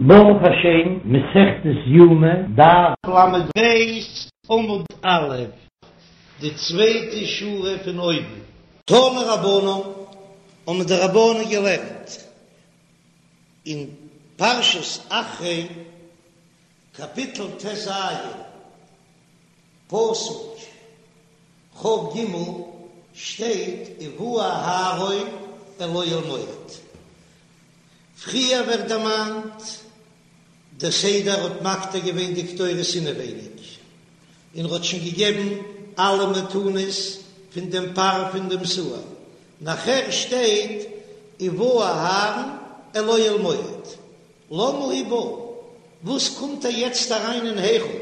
ברוך השם, מסכת יומא, דף ל"ב עמוד א', די צווייטע שורה פון אויבן. תנו רבנן, האבן די רבנן געלערנט אין פרשת אחרי, קאפיטל ט"ז, פסוק כ"ג, שטייט ובא אהרן אל אוהל מועד. פריער ווערט דערמאנט דער סדר האט מקטיר געווען די קטורת אינעווייניג, און ר'האט שוין געגעבן אלע מתנות פון דעם פר פון דעם שעיר, נאכער שטייט ובא אהרן אל אוהל מועד, למה הוא בא, וואס קומט ער יעצט אריין אין היכל,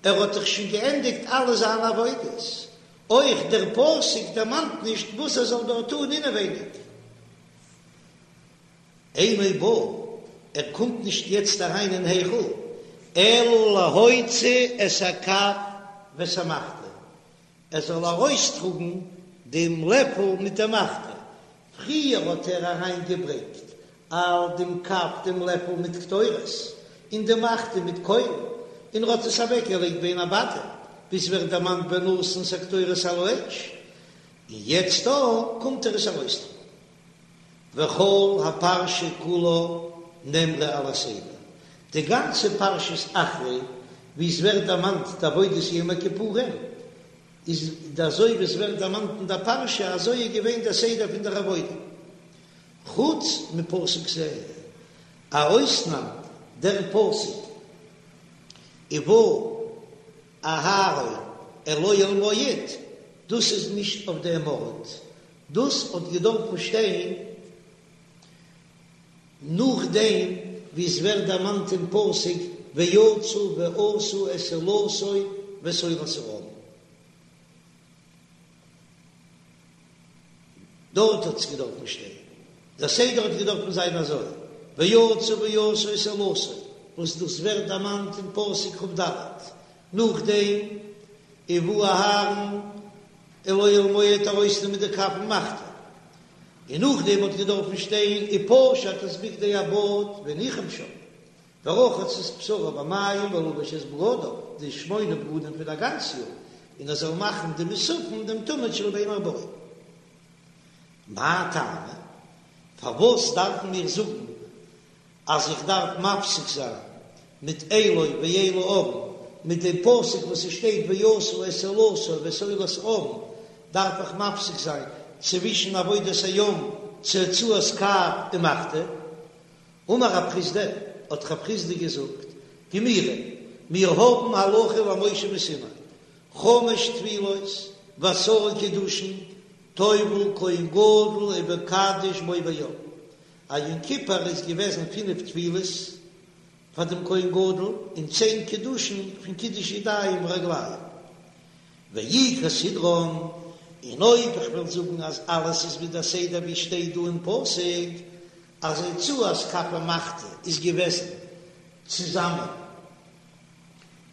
ער האט דאך שוין געענדיגט אלע זיינע עבודות, אויך דער פסוק דערמאנט נישט וואס ער זאל דארט טון אינעווייניג. אינו בא, ער קומט נישט יעצט אריין אין היכל, אלא להוציא את הכף ואת המחתה, ער זאל ארויסטראגן דעם לעפל מיט דער מחתה, פריער האט ער אריינגעברענגט אל דעם כף דעם לעפל מיט קטורת, און די מחתה מיט קוילן, און ער האט עס אוועקגעלייגט בין הבדים, ווי ס'ווערט דערמאנט ונתן את הקטורת על האש, און יעצט דא קומט ער עס ארויסטראגן. וכל הפרשה כולה נאמרה על הסדר, די גאנצע פרשת אחרי ווי עס ווערט דערמאנט די עבודת יום הכיפורים, איז אזוי ווי עס ווערט דערמאנט אין דער פרשה אזוי איז געווען דער סדר פון דער עבודה, חוץ מפסוק זה, א אויסנאם דער פסוק ובא אהרן אל אוהל מועד, דאס איז נישט אויף דעם ארט, דאס האט געדארפן שטיין נאכדעם ווי עס ווערט דערמאנט אין פסוק ויצאו ועשו את עולתו ואת עולת העם. דארט האט עס געדארפן שטיין. דער סדר האט געדארפן זיין אזוי, ויצאו ועשו את עולתו, וואס דאס ווערט דערמאנט אין פסוק כ"ד, נאכדעם ובא אהרן אל אוהל מועד ארויסנעמען די כף ומחתה, און נאכדעם האט געדארפן שטיין ופשט את בגדי הבד והניחם שם, ורחץ את בשרו במים ולבש את בגדיו, די שמונה בגדים פון א גאנץ יאר, און ער זאל מאכן די מוספים דעם תמיד של בין הערבים. מאי טעמא? פארוואס דארפן מיר זאגן אז איך דארף מפסיק זיין מיט אליו ואל העם, מיט דעם פסוק וואס עס שטייט ועשו את עולתו ואת עולת העם, דארף איך מפסיק זיין צווישן עבודת היום צו הוצאת כף ומחתה? אמר רב חסדא, האט רב חסדא געזאגט, גמירי, מיר האבן הלכה למשה מסיני, חמש טבילות ועשרה קידושין, טובל כהן גדול ומקדש בו ביום, א יום כיפור איז געוועזן פינף טבילות פאר דעם כהן גדול און צען קידושין פון קידוש ידיים ורגליים, ואי כסדרן, און אויב איך וועל זאגן אז אלעס איז ווי דער סדר ווי שטייט דא אין פסוק אז הוצאת כף ומחתה איז געוועזן צוזאמען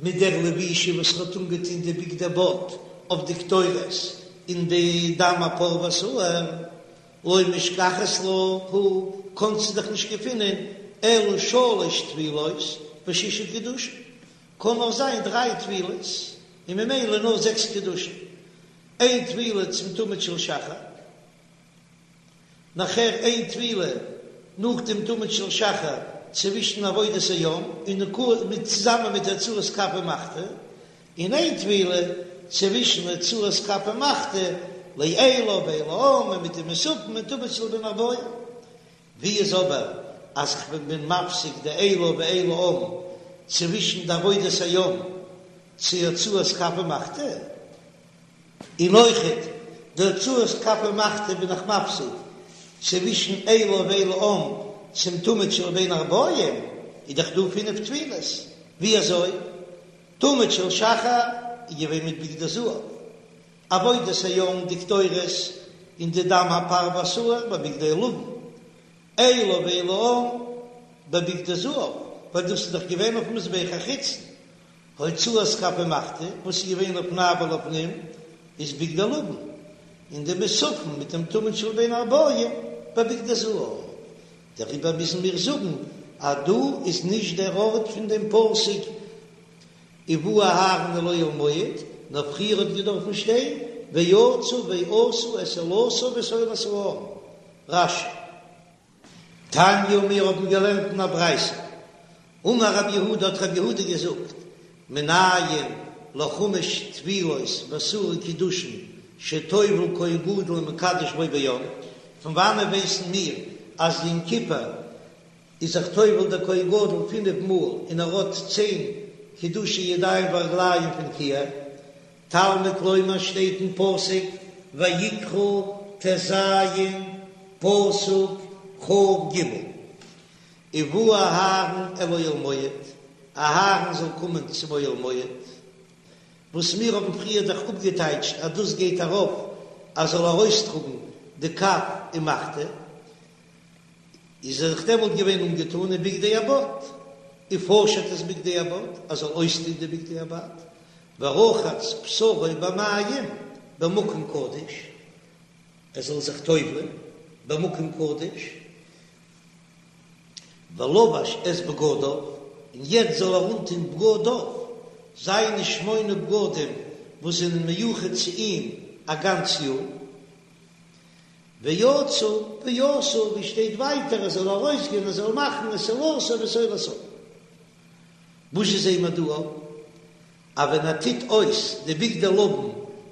מיט דער לבישה וואס ר'האט אנגעטון די בגדי בד אויף די קטורת און די דם הפר והשעיר, לא משכחת לה הא, קאנסטו דאך נישט געפינען אלא שלש טבילות ושישה קידושין, קען נאר זיין דריי טבילות און ממילא נאר זעקס קידושין, איין טבילה צום תמיד של שחר. נאכער איין טבילה נאך דעם תמיד של שחר צווישן עבודת היום און נקוה מיט צוזאמען מיט הוצאת כף ומחתה, און איין טבילה צווישן הוצאת כף ומחתה לאליו ואל העם און מיט די מוספים און תמיד של בין הערבים. ווי איז אבער אז כ'בין מפסיק די אליו ואל העם צווישן די עבודת היום צו הוצאת כף ומחתה? און אויכעט די הוצאת כף ומחתה בין איך מפסיק צווישן אליו ואל העם צום תמיד של בין הערבים, איז דאך דא פינף טבילות, ווי אזוי? תמיד של שחר איז געווען מיט בגדי זהב, עבודת היום די קטורת און די דם הפר והשעיר בבגדי לבן, אליו ואל העם בבגדי זהב, ווייל דאס איז דאך געווען אויפן מזבח החיצון, הוצאת כף ומחתה וואס איז געווען לפני ולפנים איז בגדי לבן, און די מוספים מיט דעם תמיד של בין הערבים בבגדי זהב, דעריבער מוזן מיר זאגן. אז דא איז נישט דער ארט פון דעם פסוק ובא אהרן אל אוהל מועד, נאר פריער האט געדארפן שטיין ויצא ועשה את עולתו ואת עולת העם. רש"י. תניא מיר האבן געלערנט אין א ברייתא, אמר רב יהודה האט רב יהודה געזאגט, מנין לחמש טבילות ועשרה קידושין שטובל כהן גדול ומקדש בו ביום, פון וואנען ווייסן מיר אז יום כיפור איז זיך טובל דער כהן גדול פינף מאל און ער האט צען קידושי ידיים ורגליים פון כיור? תלמוד לומר שטייט אין פסוק ויקרא ט"ז פסוק כ"ג ובא אהרן אל אוהל מועד, אהרן זאל קומען צום אוהל מועד, וואס מיר האבן פריער דאך אפגעטייטשט אז דאס גייט ארויף אז זאל ארויסטראגן די כף ומחתה, איז ער זיך דעמאלט געווען אנגעטאן אין בגדי הבד, ופשט את בגדי הבד, ער זאל אויסטון די בגדי הבד, ורחץ בשרו במים במקום קדוש, ער זאל זיך טובל'ען במקום קדוש, ולבש את בגדיו, און יעצט זאל ער אנטון בגדיו, זיינע שמונה בגדים וואס זענען מיוחד צו אים א גאנץ יאר. ויצא ועשה, ווי שטייט ווייטער ער זאל ארויסגיין ער זאל מאכן את עולתו ואת עולת העם. וואס זעען מיר דא אויף אז ווען ער טוט אויס די בגדי לבן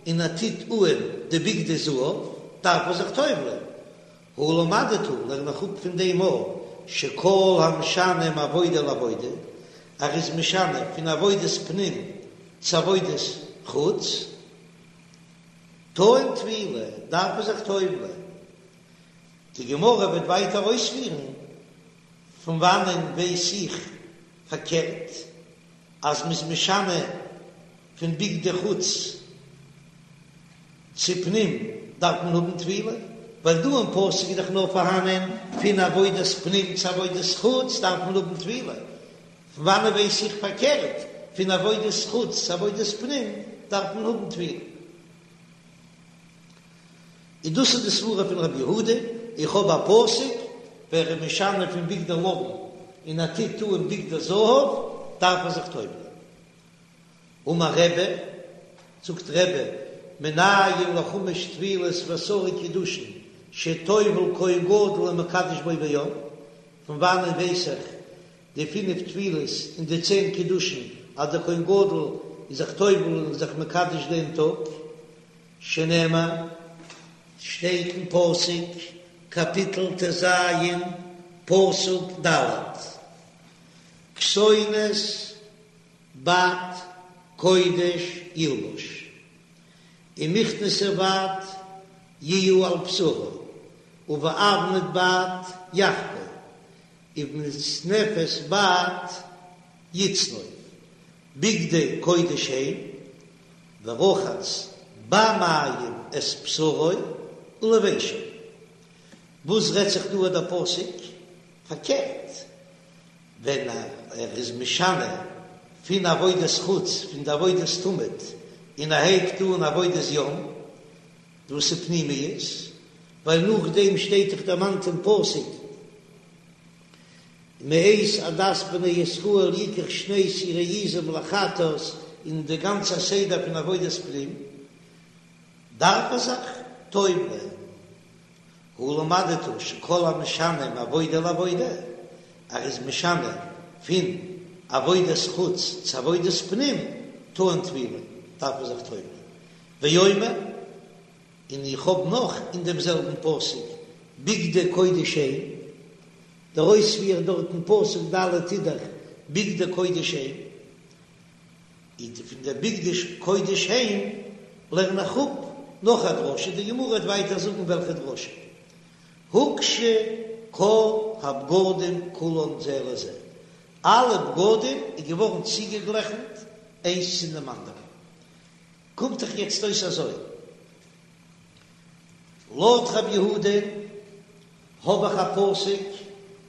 און ער טוט אהן די בגדי זהב דארף ער זיך טובל'ען, הא למדת לערן איך אפ פון דעם אויך שכל המשנה מעבודה לעבודה, ער איז משנה פון עבודת פנים צו עבודת חוץ. טעון טבילה, דארף ער זיך טובל'ען. די גמרא וועט ווייטער אויספירן, פון וואנען ווייס איך פארקערט, אז מ'איז משנה פון בגדי חוץ צו פנים דארף מען האבן טבילה, ווייל דא אין פסוק איז דאך נאר פארהאנען פון עבודת פנים צו עבודת חוץ דארף מען האבן טבילה, פון וואנען ווייס איך פארקערט, פון עבודת חוץ צו עבודת פנים דארף מען האבן טבילה. און דאס איז די סברה פון רבי יהודה, איך האב א פסוק, ווער איז משנה פון בגדי לבן און ער טוט אן בגדי זהב, דארף ער זיך טובל'ען. אמר רבי, זאגט רבי, מנין לחמש טבילות ועשרה קידושין שטובל כהן גדול ומקדש בו ביום, פון וואנען ווייס איך די פינף טבילות און די צען קידושין אז דער כהן גדול איז זיך טובל און זיך מקדש דעם טאג, שנאמר, שטייט אין פסוק, קאפיטל ט"ז, פסוק ד', כתונת בד קודש ילבש, ומכנסי בד יהיו על בשרו, ובאבנט בד יחגור, ובמצנפת בד יצנוף, בגדי קודש הם, ורחץ במים את בשרו ולבשם. וואס רעדט זיך דא דער פסוק? פארקערט, ווען ער איז משנה פון עבודת חוץ, פון די עבודת תמיד, און ער הייבט אן עבודת יום, דאס איז פנימיות, ווייל נאכדעם שטייט דאך דערמאנט אין פסוק, מאת עדת בני ישראל יקח שני שעירי עזים לחטאת, און די גאנצע סדר פון עבודת פנים דארף ער זיך טובל'ען. הא למדת שכל המשנה מעבודה לעבודה, ער איז משנה פון עבודת חוץ צו עבודת פנים, טעון טבילה, דארף ער זיך טובל'ען. ואומר, און איך האב נאך אין דעם זעלבן פסוק, בגדי קודש הם, דער אויספיר דארט אין פסוק ד' איז דאך בגדי קודש הם, און פון דער בגדי קודש הם לערן איך אפ נאך א דרשה, די גמרא וועט ווייטער זאגן וועלכע דרשה, הוקשו כל הבגדים כולן זה לזה, אלע בגדים איז געווארן צוגעגלעכנט איינס צו דעם אנדערן, קומט דאך יעצט אויס אזוי, לויט רב יהודה האב איך א פסוק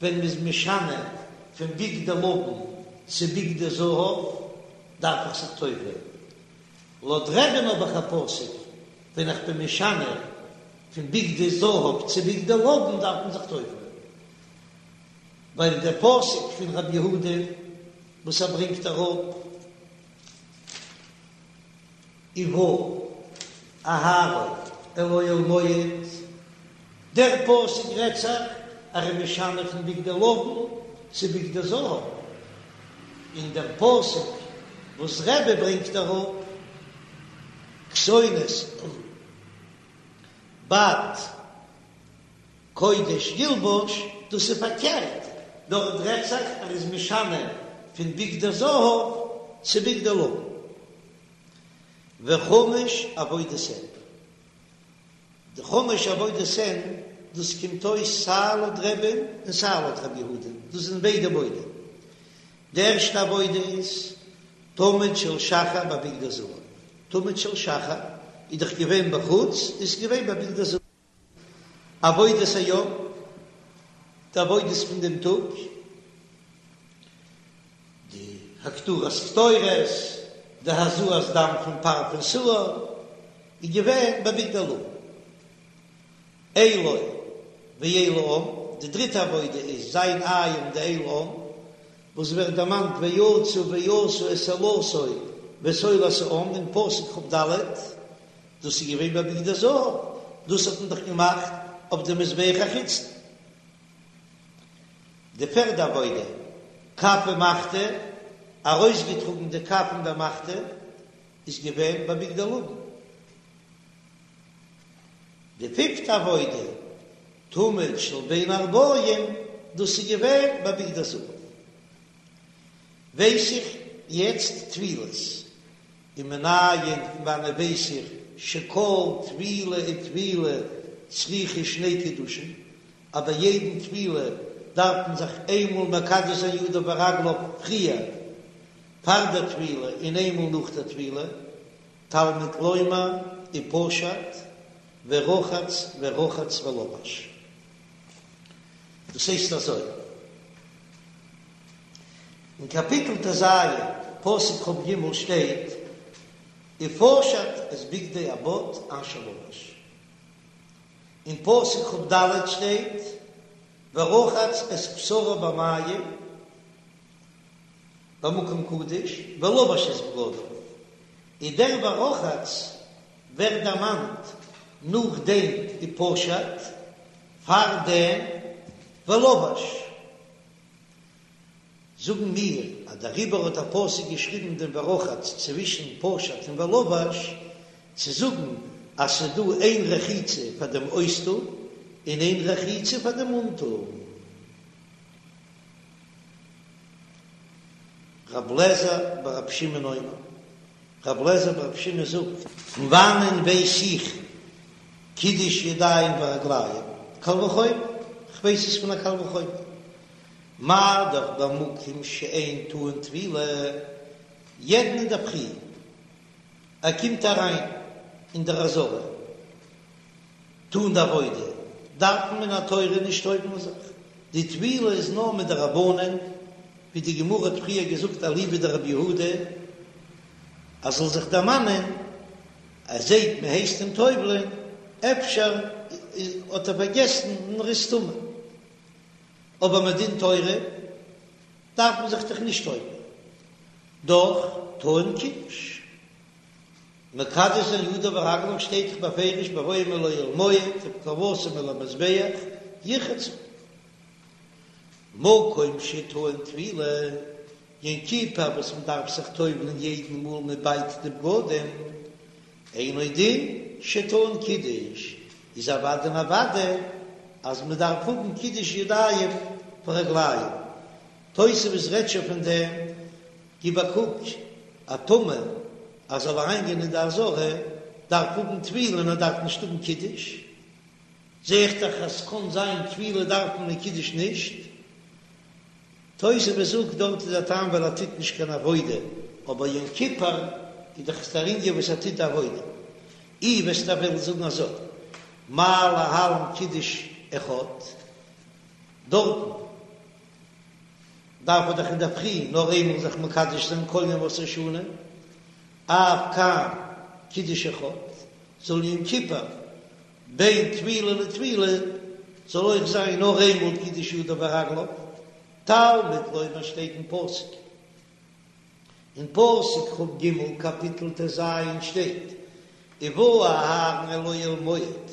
ווען מ'איז משנה פון בגדי לבן צו בגדי זהב דארף איך זיך טובל'ען, לויט רבי'ן האב איך א פסוק ווען איך בין משנה פון בגדי זהב צו בגדי לבן דארף מען זיך טובל'ען. ווייל דער פסוק פון רבי יהודה וואס ער ברענגט אראפ ובא אהרן אל אוהל מועד, דער פסוק רעדט זיך אז ער איז משנה פון בגדי לבן צו בגדי זהב, און דער פסוק וואס רבי ברענגט אראפ כתונת בד קודש ילבש, דאס איז פארקערט, דארט רעדט זיך ער איז משנה פון בגדי זהב צו בגדי לבן. וחמש עבודות הן, די חמש עבודות הן, דאס קומט אויס סיי לויט רבי'ן און סיי לויט רבי יהודה, דאס זענען ביידע מודה. די ערשטע עבודה איז תמיד של שחר בבגדי זהב, תמיד של שחר איז דאך געווען בחוץ, איז געווען בבגדי זהב. עבודת היום, די עבודות פון דעם טאג, די הקטרת קטורת, די הזאת דם פון פר פון שעיר, איז געווען בבגדי לבן. אילו ואיל העם, די דריטע עבודה איז זיין איל און די איל העם, וואס ווערט דערמאנט ויצאו ועשו את עולתו ואת עולת העם אין פסוק כ"ד, דאס איז געווען בבגדי זהב, דאס האט מען דאך געמאכט אויף די מזבח החיצון. די פערדע עבודה, כף ומחתה, ארויסגעטראגן די כף און די מחתה, איז געווען בבגדי לבן. די פיפטע עבודה, תמיד של בין הערבים, דאס איז געווען בבגדי זהב. ווייס איך יעצט טבילות, ומנין פון וואנען ווייס איך שכל טבילה וטבילה צריכה שני קידושין, אז ביי יעדן טבילה דארף מען זיך איינמאל מקדש זיין ידיו ורגליו פריער פאר דער טבילה און איינמאל נאך דער טבילה, תלמוד לומר ופשט ורחץ ורחץ ולבש. דאס הייסט אזוי. אין קאפיטל ט"ז, פסוק כ"ג שטייט, ופשט את בגדי הבד אשר לבש. אין פסוק כ"ד שטייט, ורחץ את בשרו במים במקום קדוש ולבש את בגדיו. און דער ורחץ ווערט דערמאנט נאך דעם ופשט, פאר דעם ולבש. זאגן מיר אז דעריבער האט דער פסוק געשריבן דעם ורחץ צווישן פשט און ולבש, צו זאגן אז ס'איז דא איין רחיצה פאר דעם אויסטון און איין רחיצה פאר דעם אנטון. רב לעזער ברב שמעון אומר, רב לעזער ברב שמעון זאגט, פון וואנען ווייס איך קידוש ידיים ורגליים? קל וחומר, כ'ווייס עס פון א קל וחומר. מה דאך במקום שאין טעון טבילה, יעדן אינדערפרי ער קומט אריין אין דער עזרה טון די עבודה, דארף מען מן התורה נישט טובל'ן זיך, די טבילה איז נאר מדרבנן, ווי די גמרא האט פריער געזאגט אליבא דרבי יהודה, אז זאל זיך דערמאנען, ער זעט מען הייסט אים טובל'ען, אפשר האט ער פארגעסן און ער איז טמא. אבער מדין תורה דארף מען זיך דאך נישט טובל'ן, דאך טעון קידוש. מקדש זיין ידיו ורגליו שטייט דאך בפירוש בבואם אל אוהל מועד ובקרבתם אל המזבח ירחצו. מקום שטעון טבילה, יום כיפור וואס מען דארף זיך טובל'ן יעדן מאל מען בייט די בגדים, אינו דין שטעון קידוש, איז אוודאי און אוודאי אז מען דארף האבן קידוש ידיים ורגליים. תוספות רעדט שוין פון דעם, גיב א קוק, א טמא אז זאל אריינגיין אין די עזרה דארף האבן טבילה און ער דארף נישט האבן קידוש, זע איך דאך אז ס'קען זיין טבילה דארף מען און קידוש נישט. תוספות זאגט דארט איז א טעם ווייל ער טוט נישט קיין עבודה, אבער יום כיפור איז דאך דער ענין וואס ער טוט די עבודה. אי וועסטו וועלן זאגן אזוי, מה להלן קידוש אחד, דארטן דארף ער דאך אינדערפרי נאר איינמאל זיך מקדש זיין כל ימות השנה, אף כאן קידוש אחד, זאל יום כיפור בין טבילה לטבילה זאל אויך זיין נאר איינמאל קידוש ידיו ורגליו. תלמוד לומר שטייט אין פסוק, אין פסוק כ"ג קאפיטל ט"ז שטייט, ובא אהרן אל אוהל מועד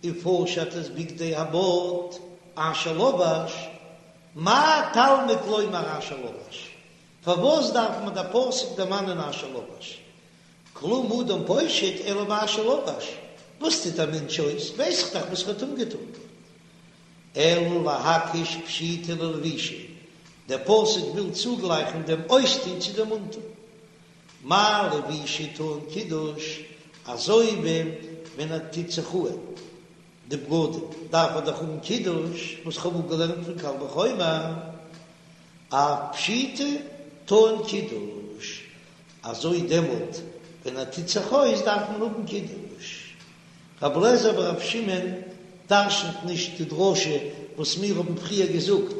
ופשט את בגדי הבד אשר לבש, מה תלמוד לומר אשר לבש? פארוואס דארף מען דער פסוק דערמאנען אשר לבש? כלום אדם פושט אלא מה שלבש, וואס טוט א מענטש אויס ווייס איך דאך וואס ער האט אנגעטון. אלא להקיש פשיטה ללבישה, דער פסוק וויל צוגלייכן דעם אויסטון צו דעם אנטון. מה לבישה טעון קידוש, אזוי ווי ווען ער טוט זיך אהן די בגדים דארף ער דאך האבן קידוש, וואס כ'האב אפגעלערנט פון קל וחומר, אף פשיטה טעון קידוש, אזוי דעמאלט ווען ער טוט זיך אויס דארף מען האבן קידוש. רבי אלעזר ברבי שמעון דרשנ'ט נישט די דרשה וואס מיר האבן פריער געזאגט,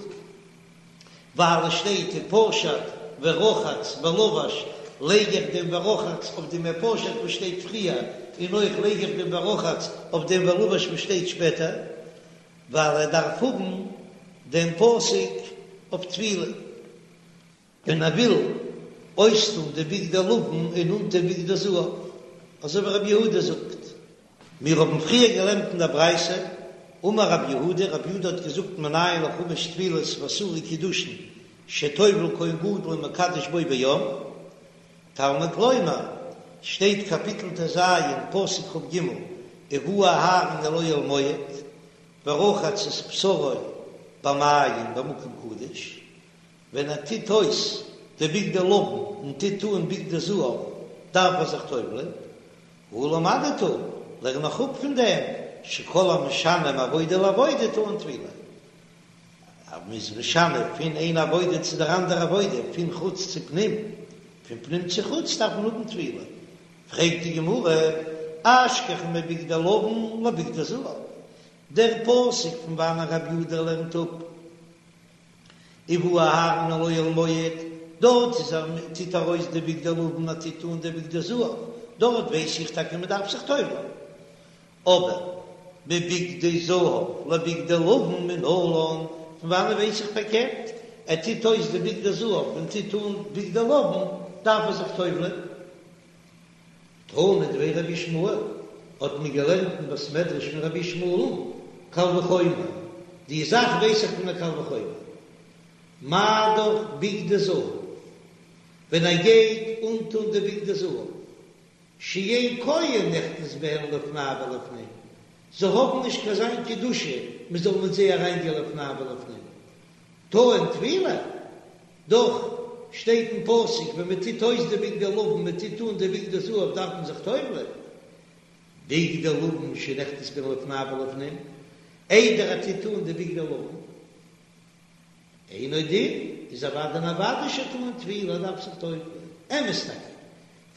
ווייל עס שטייט ופשט ורחץ ולבש, לייג איך דעם ורחץ אויף דעם ופשט וואס שטייט פריער, און אויך לייג איך דעם ורחץ אויף דעם ולבש וואס שטייט שפעטער, ווייל ער דארף האבן דעם פסוק אויף טבילה. ווען ער וויל אויסטון די בגדי לבן און אנטון בגדי זהב, אזוי ווי רבי יהודה זאגט. מיר האבן פריער געלערנט אין דער ברייתא, אמר רבי יהודה, רבי יהודה האט געזאגט מנין לחמש טבילות ועשרה קידושין שטובל כהן גדול ומקדש בו ביום, תלמוד לומר, שטייט קאפיטל ט"ז פסוק כ"ג, ובא אהרן אל אוהל מועד, ורחץ את בשרו במים במקום קדוש, ווען ער טוט אויס די בגדי לבן און טוט אן בגדי זהב דארף ער זיך טובל'ען, הא למדת, לערן איך אפ פון דעם שכל המשנה מעבודה לעבודה טעון טבילה, אז מען איז משנה פון איין עבודה צו דער אנדער עבודה, פון חוץ צו פנים, פון פנים צו חוץ דארף מען האבן טבילה, פרעגט די גמרא, אשכחן מבגדי לבן לבגדי זהב, דער פסוק פון וואנען רבי יהודה לערנט אפ ובא אהרן אל אוהל מועד, דארט איז ער טוט ער אויס די בגדי לבן ער טוט אן די בגדי זהב, דארט ווייס איך טאקע מען דארף זיך טובל'ן, אבער מבגדי זהב לבגדי לבן מנלן, פון וואנען ווייס איך פארקערט, ער טוט אויס די בגדי זהב און טוט אן בגדי לבן דארף ער זיך טובל'ן. תנא דבי רבי ישמעאל, האט מען געלערנט אין בית מדרש פון רבי ישמעאל'ן, קל וחומר, די זאך ווייס איך פון א קל וחומר, מה דאך בגדי זהב, ווען ער גייט אנטון די בגדי זהב, שאין כהן נכנס בהן לפני ולפנים, זיי האבן נישט קיין זיין קדושה מען זאל מיט זיי אריינגיין לפני ולפנים, טעון טבילה, דאך שטייט אין פסוק ווען מען טוט אויס די בגדי לבן מען טוט אן די בגדי זהב דארף מען זיך טובל'ען, בגדי לבן שנכנס בהן לפני ולפנים, איידער ער טוט אן די בגדי לבן, אינו דין, איז אוודאי און אוודאי שטעון טבילה ער דארף זיך טובל'ען, אמת טאקע,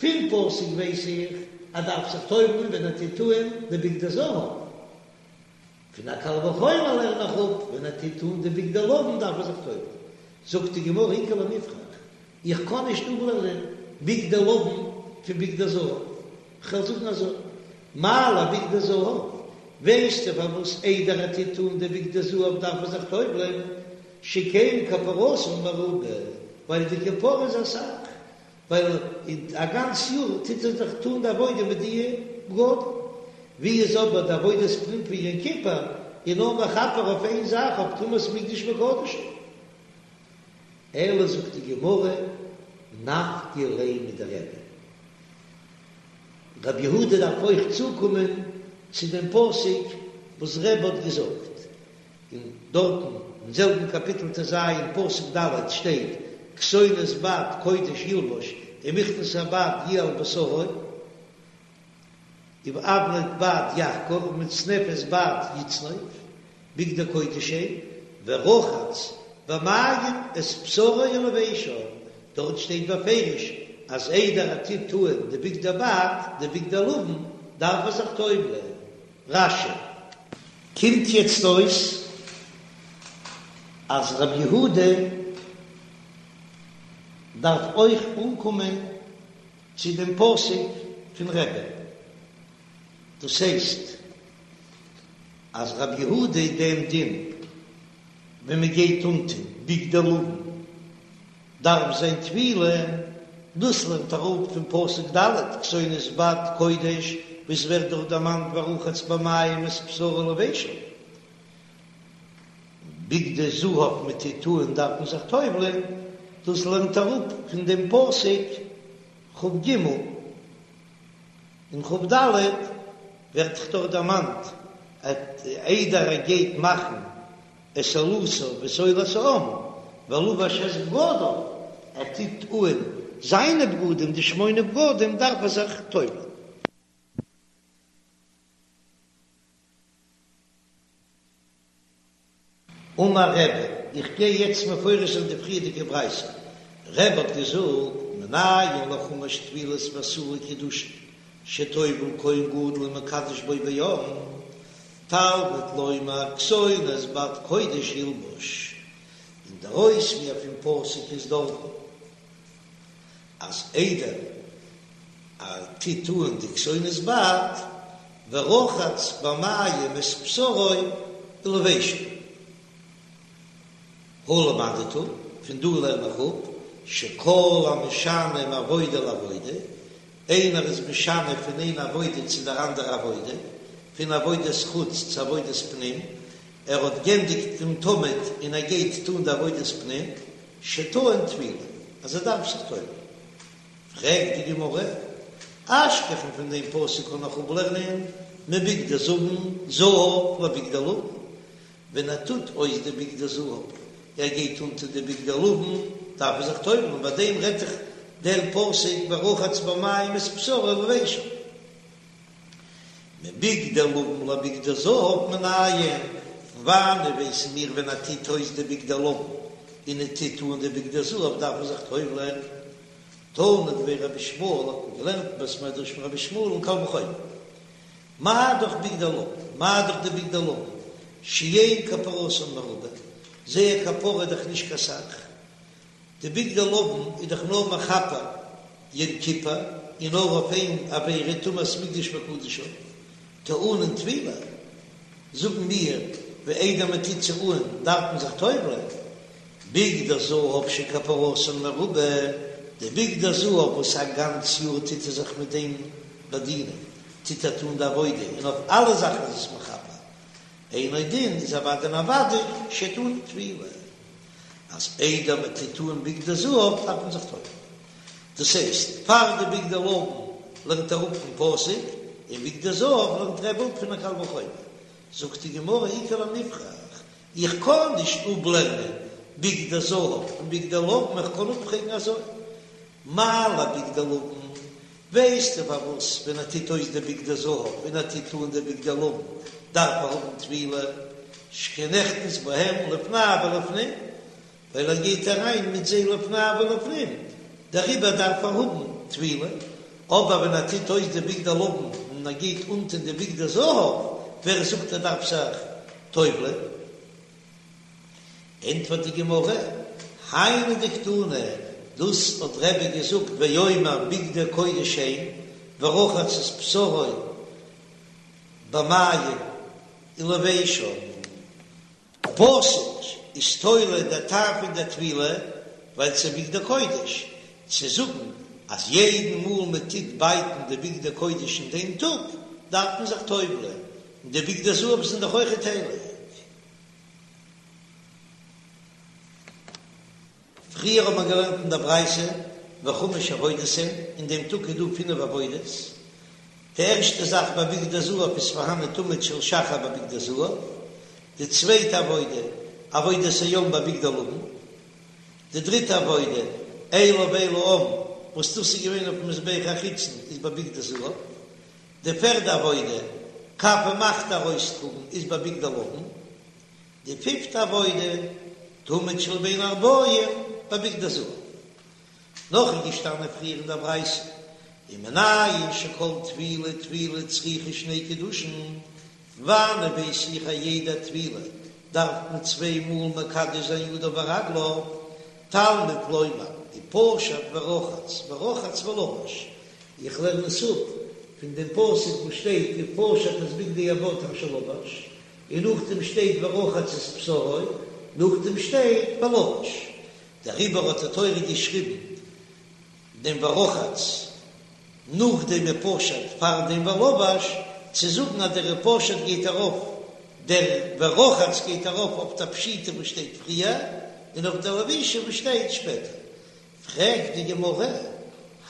פון פסוק ווייס איך אז דארף זיך טובל'ען ווען ער טוט אן די בגדי זהב, פון א קל וחומר לערן איך אפ, ווען ער טוט אן די בגדי לבן דארף ער זיך טובל'ן. זאגט די גמרא איכא למיפרך, איך קען נישט אפלערנען בגדי לבן פון בגדי זהב, כ'וועל זאגן אזוי, מה לבגדי זהב, ווייסטו פארוואס איידער ער טוט אן די בגדי זהב דארף ער זיך טובל'ן, שכן כפרתן מרובה, ווייל די כפרה איז אסאך, ווייל א גאנץ יאר טוט ער דאך טון די עבודה מיט די בגדים, ווי איז אבער די עבודת פנים פון יום כיפור איז נאר מכפר אויף איין זאך אויף טומאת מקדש וקדשיו. אלא זאגט די גמרא נפקא ליה מדרבי. רבי יהודה דארף אויך צוקומען צו דעם פסוק וואס רבי האט געזאגט, און דארטן אין זעלבן קאפיטל ט"ז פסוק ד' שטייט כתונת בד קודש ילבש ומכנסי בד יהיה על בשרו ואבנט בד יחגור ומצנפת בד יצנוף בגדי קודש הם ורחץ במים את בשרו ולבשם דארט שטייט בפירוש אז איידער ער טוט אן די בגדי בד די בגדי לבן דארף ער זיך טובל'ען. רש"י. קומט יעצט אויס אז רבי יהודה דארף אויך אנקומען צו דעם פסוק פון רבי'ן, דאס הייסט אז רבי יהודה דעם דין. ווען מען גייט אנטון בגדי לבן דארף זיין טבילה, דאס לערנט ער אפ פון פסוק ד' כתונת בד קודש וואס ווערט דארט דערמאנט ורחץ במים את בשרו ולבשו. בגדי זהב מען טוט אן דארף מען זיך טובל'ען, דאס לערנט ער אפ פון דעם פסוק כ"ג און כ"ד ווערט דאך דארט דערמאנט אז איידער ער גייט מאכן את עולתו ואת עולת העם ולבש את בגדיו, ער טוט אן זיינע בגדים די שמונה בגדים דארף ער זיך טובל'ען. אמר רבי, איך גיי יעצט מפרש זיין די פריערדיגע ברייתא, רבי האט געזאגט, מנין לחמש טבילות ועשרה קידושין שטובל כהן גדול ומקדש בו בעם, תלמוד לומר כתונת בד קודש ילבש, און דער אויספיר פון פסוק איז דארטן אז איידער ער טוט אן די כתונת בד, ורחץ במים את בשרו ולבשו. הא למדת, פון דא לערן איך אפ, שכל המשנה מעבודה לעבודה, איינער איז משנה פון איין עבודה צו דער אנדערע עבודה, פון עבודת חוץ צו עבודת פנים, ער האט גענדיגט דעם תמיד און ער גייט טון די עבודת פנים, שטעון טבילה, אז ער דארף זיך טובל'ן. פרעגט די גמרא, אשכחן פון דעם פסוק קען איך אפלערנען מבגדי זבן זהב לבגדי לבן, ווען ער טוט אויס די בגדי זהב, ער גייט אנטון די בגדי לבן, דארף ער זיך טובל'ן, ביי דעם רעדט זיך דער פסוק ורחץ במים את בשרו ולבשו. מבגדי לבן לבגדי זהב מנין, פון וואנעט ווייסן מיר ווען ער טוט אויס די בגדי לבן און ער טוט אן די בגדי זהב דארף ער זיך טובל'ען? תנא דבי רבי ישמעאל האט מען געלערנט אין בית מדרש פון רבי ישמעאל אין קל וחומר. מה דאך בגדי לבן, מה דאך די בגדי לבן, שאין כפרתן מרובה, זייער כפרה איז דאך נישט קיין סך, די בגדי לבן איז דאך נאר מכפר יום כיפור און נאר אויף איין עבירה טומאת מקדש וקדשיו, טעונין טבילה, זאגן מיר ווי איידער מען טוט זיי אן דארף מען זיך טובל'ען, בגדי זהב שכפרתן מרובה, די בגדי זהב וואס א גאנץ יאר טוט ער זיך מיט דעם באדינען, טוט ער טון די עבודה און אויף אלע זאכן איז עס מכפר, אינו דין איז אוודאי און אוודאי שטעון טבילה. אז איידער מען טוט אן בגדי זהב דארף מען זיך טובל'ן. דאס הייסט, פאר די בגדי לבן לערנט ער אפ פון פסוק, און בגדי זהב לערנט רבי אפ פון א קל וחומר. זאגט די גמרא איכא למיפרך, איך קען נישט אפלערנען בגדי זהב פון בגדי לבן, איך קען אפפרעגן אזוי, מה לבגדי לבן, ווייסטו פארוואס ווען ער טוט אויס די בגדי זהב און ער טוט אן די בגדי לבן דארף ער האבן טבילה, שכן נכנס בהם לפני ולפנים, ווייל ער גייט אריין מיט זיי לפני ולפנים, דעריבער דארף ער האבן טבילה, אבער ווען ער טוט אויס די בגדי לבן און ער גייט אנטון די בגדי זהב, ווער זאגט ער דארף זיך טובל'ען? ענטפערט די גמרא, היינו דקתני, דאס האט רבי געזאגט ואומר בגדי קודש הן ורחץ את בשרו במים ולבשם. פסוק איז תולה דער טעם פון דער טבילה ווייל ס'איז בגדי קודש, צו זאגן אז יעדן מאל מען טוט בייטן די בגדי קודש אין דעם טאג דארף מען זיך טובל'ען, און די בגדי זהב זענען דאך אויכעט הייליג. פריער האט מען געלערנט אין דער ברייתא וחמש עבודות הן, אין דעם טאג איז דא פינף עבודות, די ערשטע זאך ביי בגדי זהב איז פארהאן א תמיד של שחר ביי בגדי זהב, די צווייטע עבודה, עבודת היום ביי בגדי לבן, די דריטע עבודה, אלה ואל העם, וואס דאס איז געווען אויפן מזבח החיצון איז ביי בגדי זהב, די פערדע עבודה, כף ומחתה ארויסטראגן, איז ביי בגדי לבן. די פיפטע עבודה, תמיד של בין הערבים, ביי בגדי זהב. נאך איז געשטאנען פריער אין דער ברייתא, ומנין שכל טבילה וטבילה צריכה שני קידושין, וואנען ווייס איך אז יעדע טבילה דארף מען צוויי מאל מקדש זיין ידיו ורגליו, תלמוד לומר, ופשט ורחץ ורחץ ולבש, איך לערן עס אפ פון דעם פסוק וואס שטייט ופשט את בגדי הבד אשר לבש, און נאכדעם שטייט ורחץ את בשרו. נאכדעם שטייט ולבש, דעריבער האט די תורה געשריבן דעם ורחץ נאך דעם ופשט פאר דעם ולבש, צו זאגן אז דער ופשט גייט ארויף, דער ורחץ גייט ארויף אויף די פשיטה וואס שטייט פריער, און אויף די לבישה וואס שטייט שפעטער. פרעגט די גמרא,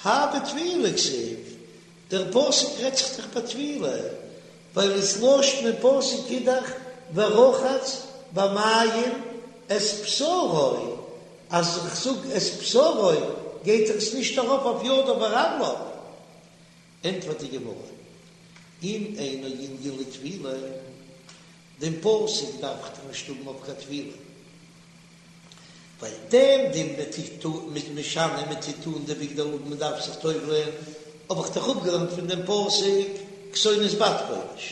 האי בטבילה כתיב, דער פסוק רעדט זיך דאך ביי טבילה, ווייל דאס לשון אין פסוק איז דאך ורחץ במים את בשרו, אז איך זאג את בשרו גייט דאך עס נישט ארויף אויף ידיו ורגליו. ענטפערט די גמרא, אם אינו ענין לטבילה, דעם פסוק דארף איך דאך נישט האבן אויף קיין טבילה, ווייל דעם דין מ'טוט מ'איז משנה מ'טוט אן די בגדי לבן מ'דארף זיך טובל'ען, האב איך דאך אפגעלערנט פון דעם פסוק כתונת בד קודש,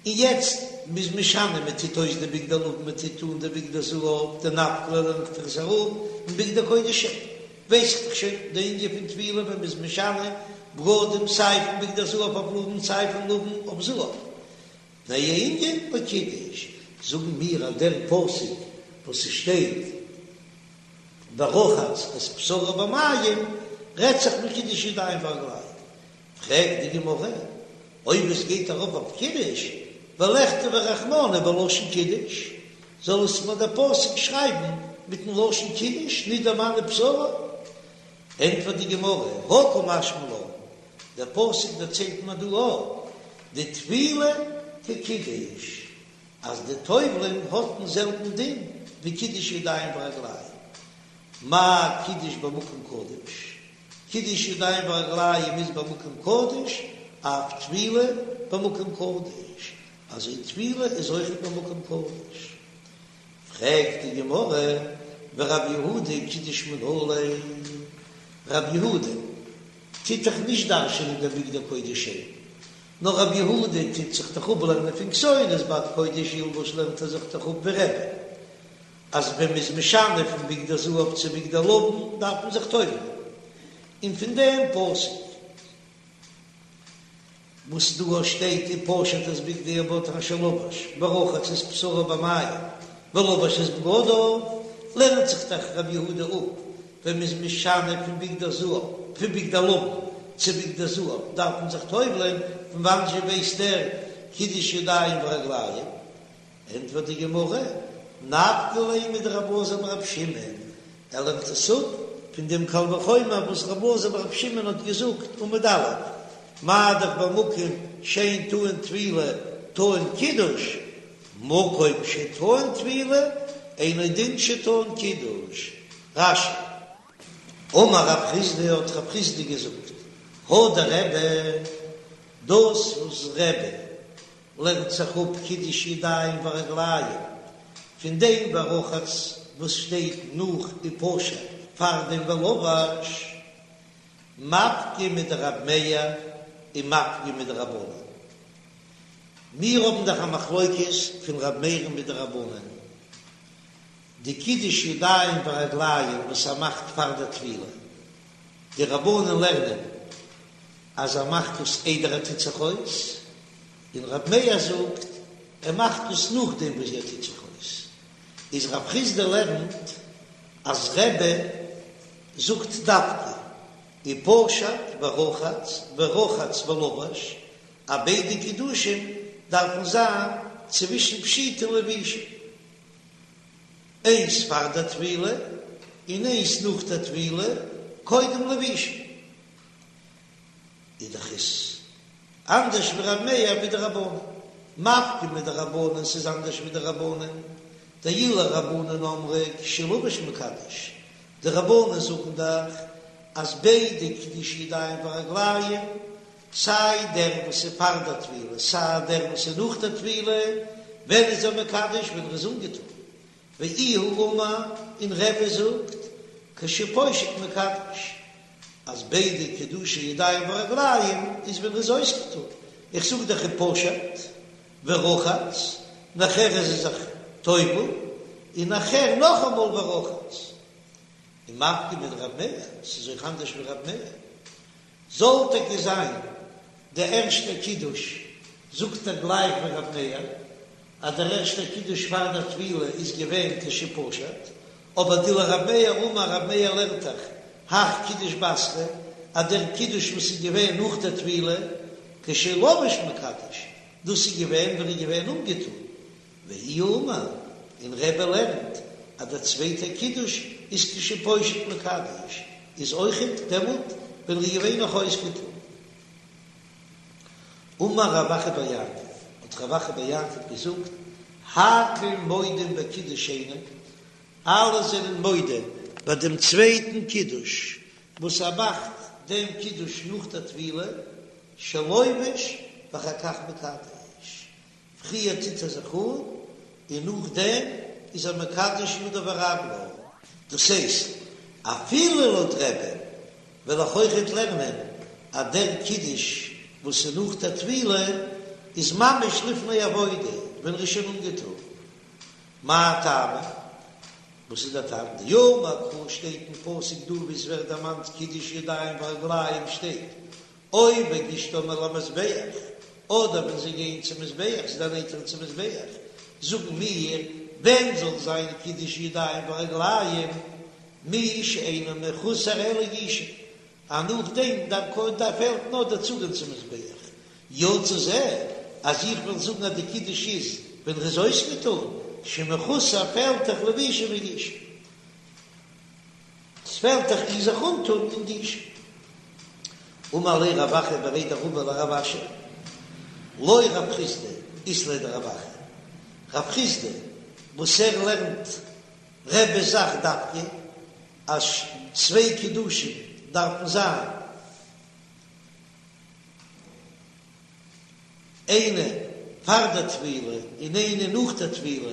און יעצט מ'איז משנה מ'טוט אויס די בגדי לבן מ'טוט אן די בגדי זהב דנפקא ליה לערנט דאך עס אראפ פון בגדי קודש הן, ווייס איך דאך שוין די ענין פון טבילה ווען מ'איז משנה בגדים סיי פון בגדי זהב אויף לבן סיי פון לבן אויף זהב. תנאי ענין לקידוש, זאגן מיר אז דער פסוק וואס ס'שטייט ורחץ את בשרו במים רעדט זיך בקידוש ידיים ורגליים, פרעגט די גמרא אויב עס גייט ארויף אויף קידוש, ולכתביה רחמנא בלשון קידוש, זאל עס מיר דער פסוק שרייבן מיטן לשון קידוש, נישט דערמאנען בשרו? ענטפערט די גמרא, הא קא משמע לן, דער פסוק דערציילט מיר דא אויך דטבילה כקידוש, אז די טובל'ען האט דעם זעלבן דין ווי קידוש ידיים ורגליים, מה קידוש במקום קדוש, קידוש ידיים ורגליים איז במקום קדוש, אף טבילה במקום קדוש, אזוי טבילה איז אויכעט במקום קדוש. פרעגט די גמרא, ורב יהודה קידוש מנא ליה, רב יהודה טוט דאך נישט דרש'ענען דעם בגדי קודש הן, נאר רב יהודה טוט זיך דאך אפלערנען פון כתונת בד קודש ילבש לערנט ער זיך דאך אפ ווי רבי אז ווען מ'איז משנה פון בגדי זהב צו בגדי לבן דארף מען זיך טובל'ען, און פון דעם פסוק. וואס דא שטייט ופשט את בגדי הבד אשר לבש ורחץ את בשרו במים ולבש את בגדיו, לערנט זיך דאך רב יהודה אפ ווען מ'איז משנה פון בגדי זהב פון בגדי לבן צו בגדי זהב דארף מען זיך טובל'ען, פון וואנען זשע ווייסט ער קידוש ידיים ורגליים? ענטפערט די גמרא, נפקא ליה מדרבי אלעזר ברבי שמעון, ער לערנט עס אפ פון דעם קל וחומר וואס רבי אלעזר ברבי שמעון האט געזאגט עמוד א', מה דאך במקום שאין טעון טבילה טעון קידוש, מקום שטעון טבילה אינו דין שטעון קידוש. רש"י. אמר רב חסדא האט רב חסדא געזאגט, הא דרבי, דאס וואס רבי לערנט זיך אפ קידוש ידיים ורגליים פון דעם ורחץ וואס שטייט נאך ופשט פאר דעם ולבש, מפקא מדרב מאיר ומפקא מדרבנן. מיר האבן דאך א מחלוקת פון רב מאיר'ן מיט די רבנן, די קידוש ידיים ורגליים וואס ער מאכט פאר דער טבילה, די רבנן לערנען אז ער מאכט דאס איידער ער טוט זיך אויס, און רב מאיר זאגט ער מאכט דאס נאכדעם וואס ער טוט זיך אויס, איז רב חסדא לערנט אז רבי זאגט דווקא ופשט ורחץ ורחץ ולבש אז ביידע קידושים דארפן זיין צווישן פשיטה און לבישה, איינס פאר דער טבילה און איינס נאך דער טבילה קודם לבישה. איז דאך עס אנדערש ווי ר' מאיר ווי די רבנן. מפקא מדרבנן ס'איז אנדערש ווי די רבנן. דאילו רבנן אמרי כשלבש מקדש, די רבנן זאגן דאך אז ביידע קידוש ידיים ורגליים, סיי דער וואס איז פאר דער טבילה סיי דער וואס איז נאך דער טבילה, ווען איז ער מקדש? ווען ער איז אנגעטון. ואיהו אמר, און רבי זאגט כשפושט מקדש, אז ביידע קידושי ידיים ורגליים איז ווען ר'איז אויסגעטון, איך זאג דאך ופשט ורחץ, נאכער איז ער זיך טובל, און נאכער נאכאמאל ורחץ. און מפקא מדרב מאיר, ס'איז אויך אנדערש ווי רב מאיר. זאל טאקע זיין די ערשטע קידוש זאגט ער גלייך ווי רב מאיר. אז דער ערשטער קידוש פאר דער טבילה איז געווען כשפשט, אבער דלרב מאיר אמר רב מאיר לערנט דאך הך קידוש בתרא אז דער קידוש וואס איז געווען נאך דער טבילה כשלבוש מקדש, דאס איז געווען ווען ער איז געווען אנגעטון, ואיהו אמר, און רבי לערנט אז דער צווייטער קידוש איז כשפושט מקדש, איז אויכעט דעמאלט ווען ער איז געווען נאך אויסגעטון. אמר רב אחא בר יעקב, האט רב אחא בר יעקב געזאגט, הכל מודים בקידוש שני, אלע זענען מודה ביי דעם צווייטן קידוש וואס ער מאכט דעם קידוש נאך דער טבילה, שלובש ואחר כך מקדש, פריער טוט ער זיך אן און נאכדעם איז ער מקדש ידיו ורגליו. דאס הייסט, אפילו לויט רבי'ן וועל איך אויכעט לערנען אז דער קידוש וואס איז נאך דער טבילה איז ממש לפני עבודה ווען ער איז שוין אנגעטון. מאי טעמא? וואס איז דער טעם? דאמר קרא שטייט אין פסוק דא ווי עס ווערט דערמאנט קידוש ידיים ורגליים שטייט או בגישתם אל המזבח, אדער ווען זיי גייען צום מזבח, זיי דערנענטערן צום מזבח, זאגן מיר, ווען זאל זיין קידוש ידיים ורגליים, מי שאינו מחוסר אלא גישה, אז נאכדעם דארף פעלט נאר דער צוגיין צום מזבח. יצא זה, אז איך וועל זאגן אז די קידוש איז ווען ר'איז אויסגעטון, שמחוסר פעלט דאך לבישה וגישה. ס'פעלט דאך אין זיך אנטון און גישה. אמר ליה רב אחא בריה דרבא לרב אשי, לא רב חסדא אית ליה דרב אחא, רב חסדא וואס ער לערנט רבי'ס זאך דווקא אז צוויי קידושים דארפן זיין איינע פאר דער טבילה און איינע נאך דער טבילה,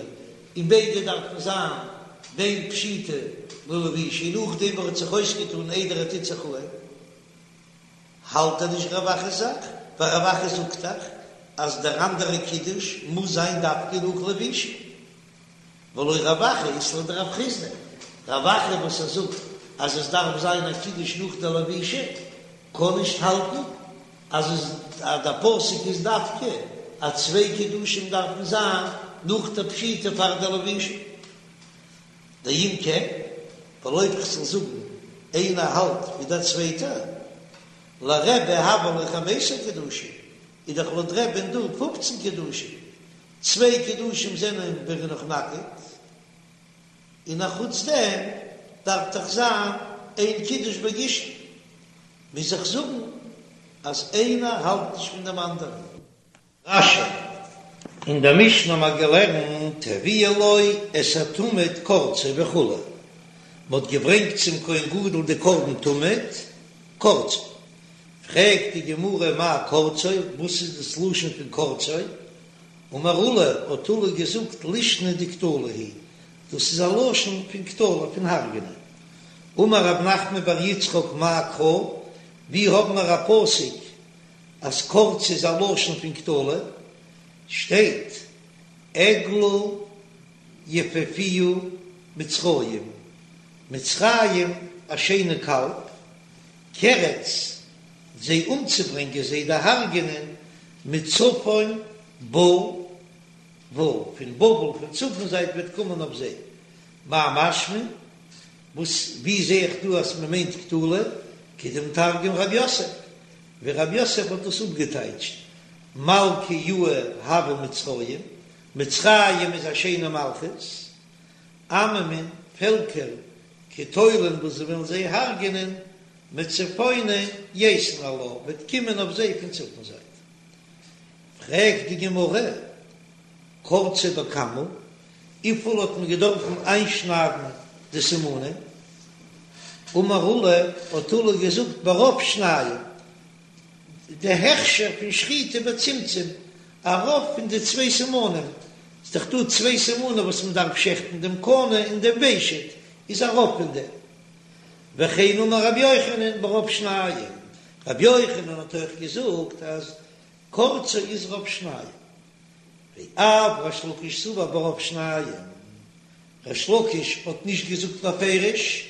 און ביידע דארפן זיין בין פשיטה ללבישה, און נאכדעם וואס ער האט זיך אויסגעטאן איידער ער טוט זיך אן, האלט ער נישט רב אחא'ס זאך, ווייל רב אחא זאגט דאך אז דער אנדערע קידוש מוז זיין דווקא נאך לבישה. ולא רב אחא אית ליה דרב חסדא, רב אחא וואס ער זאגט אז עס דארף זיין א קידוש נאך די לבישה, קען נישט האלטן אז עס אז דער פסוק איז דווקא אז צוויי קידושים דארפן זיין נאך די פשיטה פאר די לבישה. דאם כן, ווייל אויב כ'זאל זאגן איינער האלט ווי דער צווייטער, לרבי הוו להו חמיסר קידושין, איז דאך לויט רבי'ן דא פופצן קידושים, צוויי קידושים זענען ווען ער איז נאך נאקעט, און א חוץ דעם דארף דאך זיין איין קידוש בגישתן, מוז איך זאגן אז איינער האלט נישט פון דעם אנדערן. רש"י, אין דער משנה האט מען געלערנט הביאו לו את התמיד קורצו וכו', מען האט געברענגט צום כהן גדול די קרבן תמיד קורצו, פרעגט די גמרא מאי קורצו, וואס איז דאס לשון פון קורצו? אמר עולא, האט עולא געזאגט לישנא דקטלא היא, דאס איז א לשון פון קטלא, פון הרג'נען. אמר רב נחמן בר יצחק מאי קרא, ווי האבן מיר א פסוק אז קורצו איז א לשון פון קטלא? שטייט עגלה יפהפיה מצרים, מצרים א שיינע קאלב, קרץ זיי אומצוברענגען זיי דערהרגענען מצפון בא בל, פון בבל פון צפון זייט וועט קומען אויף זיי, מאי משמע? וואס ווי זע איך דא אז מען מיינט קטלא? כדמתרגם רב יוסף, ווי רב יוסף האט דאס אפגעטייטשט, מלכא יאה הוה מצרים, מצרים איז א שיינע מלכות, עממין, פעלקער, קטולין וואס זיי ווילן זיי הרג'ענען, מצפונא ייתון עלה, וועט קומען אויף זיי פון צפון זייט. פרעגט די גמרא, קורצו בכמה, וויפיל האט מען געדארפן איינשניידן די סימנים? אמר עולא, האט עולא געזאגט ברוב שנים, די הכשר פון שחיטה בצמצום, א רוב פון די צוויי סימנים, ס'איז דאך דא צוויי סימנים וואס מען דארף שעכטן, דעם קנה און דעם ושט, איז א רוב פון דעם. וכן אמר רבי יוחנן ברוב שנים, רבי יוחנן האט אויך געזאגט אז קורצו איז רוב שנים, ואף ריש לקיש סבר ברוב שנים, ריש לקיש האט נישט געזאגט בפירוש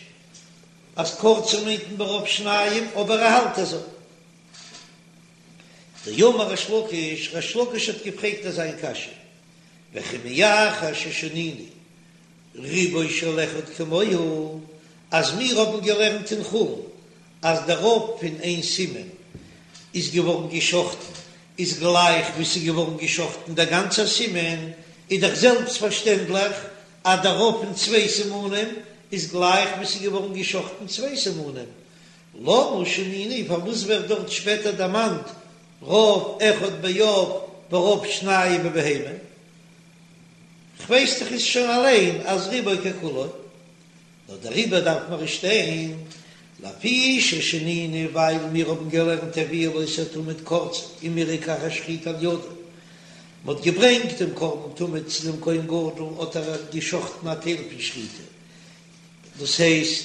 אז קורצו מיינט מען ברוב שנים, אבער ער האלט אזוי. דאמר ריש לקיש, ריש לקיש האט געפרעגט אזא קשיא. וכי מאחר ששנינו רובו של אחד כמוהו, אז מיר האבן געלערנט אין חולין אז דער רוב פון איין סימן איז געווארן געשחטן איז גלייך ווי ס'איז געווארן געשחטן דער גאנצער סימן, איז דאך זעלבסט פארשטענדליך אז דער רוב פון צוויי סימנים איז גלייך ווי ס'איז געווארן געשחטן צוויי סימנים. למה שנינו, פארוואס ווערט דארט שפעטער דערמאנט רוב אחד בעוף ורוב שניים בבהמה? כ'ווייס דאך עס שוין אליין אז רובו ככולו. נאר דעריבער דארף מען שטיין לפי ששנינו ווייל מיר האבן געלערנט הביאו לו את התמיד קורצו ומירק אחר שחיטה על ידו, מען האט געברענגט דעם קרבן תמיד צו דעם כהן גדול האט ער געשחטן א טייל פון שחיטה, דאס הייסט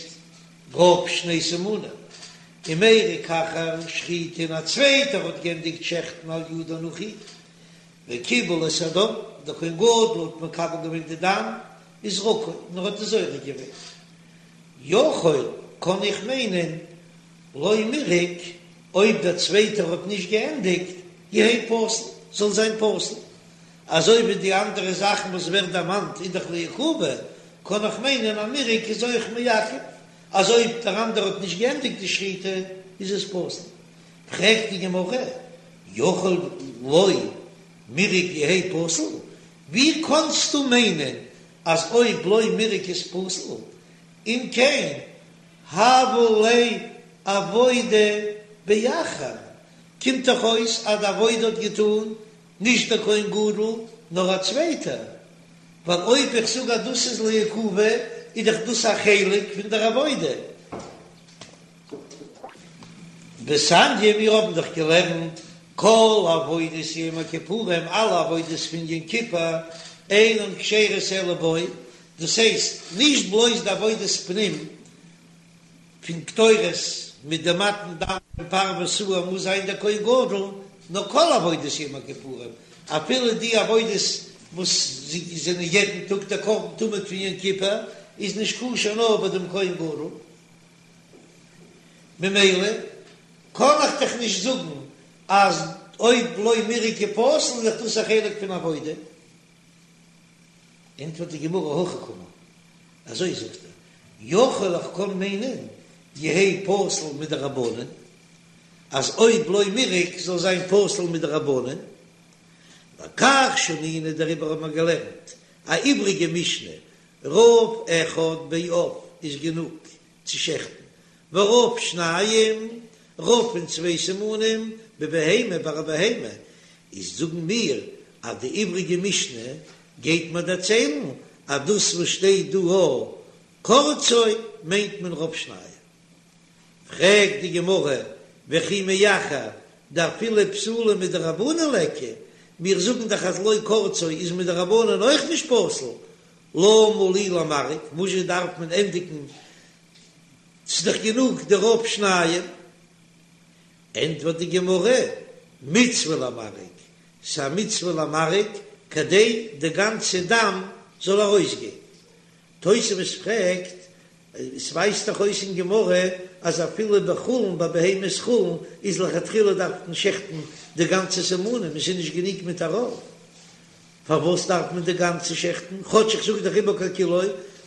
רוב שני סימנים, ומירק אחר שחיטה און א צווייטער האט גענדיגט שעכטן על ידו נאך אים, וקיבל את הדם, דער כהן גדול האט מקבל געווען די דם, וזרקו, און ער האט עס זורק געווען. יכול, קען איך מיינען, לא מירק, אויב דער צווייטער האט נישט געענדיגט, יהא פסול, זאל זיין פסול. אזוי ווי די אנדערע זאכן וואס ווערט דערמאנט איז דאך לעיכובא, קען איך מיינען אז מירק איז אויך מעכב, אז אויב דער אנדערע האט נישט געענדיגט די שחיטה איז עס פסול. פרעגט די גמרא, יכול לא מירק יהא פסול, ווי קאנסטו מיינען אז אויב לא מירק איז פסול, אם כן הוה ליה עבודה באחר, קומט דאך אויס אז די עבודה האט געטון נישט דער כהן גדול נאר א צווייטער, ווייל אויב איך זאג אז דאס איז לעיכובא איז דאך דאס א חלק פון דער עבודה. ותניא, מיר האבן דאך געלערנט כל עבודת יום הכיפורים, אלע עבודות פון יום כיפור אינן כשרות אלא בו, דאס הייסט נישט בלויז די עבודת פנים פון קטורת מיט די מתן דם פון פר ושעיר מוז זיין דער כהן גדול, נאר כל עבודת יום הכיפורים, אפילו די עבודות וואס זענען יעדן טאג דער קרבן תמיד פון יום כיפור איז נישט כשר נאר ביי דעם כהן גדול. ממילא קען איך דאך נישט זאגן אז אויב לא מירק איז פסול איז דאך דאס א חלק פון עבודה. ענטפערט די גמרא הכי קאמר, אזוי זאגט ער, יכול איך קען מיינען יהא פסול מדרבנן, אז אויב לא מירק זאל זיין פסול מדרבנן, לכך שנינו דעריבער האט מען געלערנט א איבריגע משנה רוב אחד בעוף איז גענוג צו שעכטן, ורוב שניים, רוב פון צוויי סימנים, בבהמה ביי א בהמה, איז זאגן מיר אז די איבריגע משנה גייט מיר דערציילן אז דאס וואס שטייט דא א קורצו מיינט מען רוב שניים. פרעגט די גמרא, וכי מאחר דאפילו פסולה מדרבנן ליכא, מיר זאגן דאך אז לא קורצו איז מדרבנן אויך נישט פסול, למה לי למרק, וואזשע דארף מען ענדיגן, ס'איז דאך גענוג די רוב שניים. ענטפערט די גמרא, מצוה למרק, ס'איז א מצוה למרק כדי די גאנצע דם זאל ארויסגיין. תוספות פרעגט, עס ווייזט דאך אויס אין גמרא אז אפילו בחולין ביי בהמת חולין איז לכתחילה דארף מען שעכטן די גאנצע סימנים, עס איז נישט גענוג מיט א רוב. פארוואס דארף מען די גאנצע שעכטן, כאטש איך זאג דאך רובו ככולו,